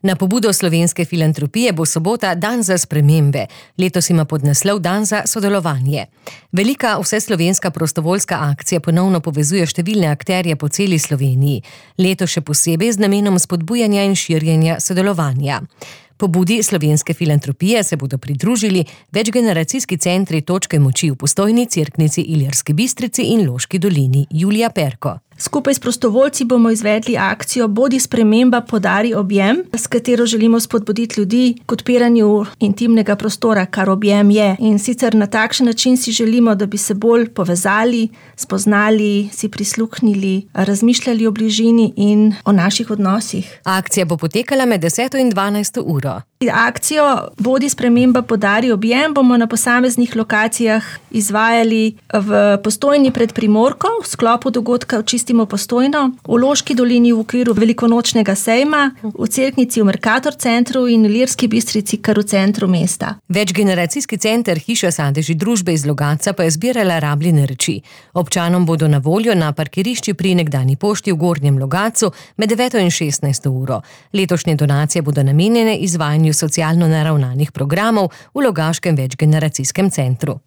Na pobudo Slovenske filantropije bo sobota Dan za spremembe. Letos ima podnaslov Dan za sodelovanje. Velika vseslovenska prostovoljska akcija ponovno povezuje številne akterje po celi Sloveniji. Letos še posebej z namenom spodbujanja in širjenja sodelovanja. Pobudi Slovenske filantropije se bodo pridružili večgeneracijski centri Točke moči v Postojni, Cerknici, Ilirski Bistrici in Loški dolini. Julija Perko. Skupaj s prostovoljci bomo izvedli akcijo Bodi sprememba, podari objem, s katero želimo spodbuditi ljudi k odpiranju intimnega prostora, kar objem je. In sicer na takšen način si želimo, da bi se bolj povezali, spoznali, si prisluhnili, razmišljali o bližini in o naših odnosih. Akcija bo potekala med 10. in 12. uro. Akcijo Bodi sprememba, podari objem bomo na posameznih lokacijah izvajali v Postojni pred Primorko, v sklopu dogodka Očistimo Postojno, v Loški dolini v okviru velikonočnega sejma, v Cerknici v Mercator centru in v Ilirski Bistrici kar v centru mesta. Večgeneracijski center Hiša Sadeži družbe iz Logatca pa je zbirala rabljene reči. Občanom bodo na voljo na parkirišči pri nekdanji pošti v Gornjem Logatcu med 9. in 16. uro. Letošnje donacije bodo namenjene izvajanju socialno naravnanih programov v Logaškem večgeneracijskem centru.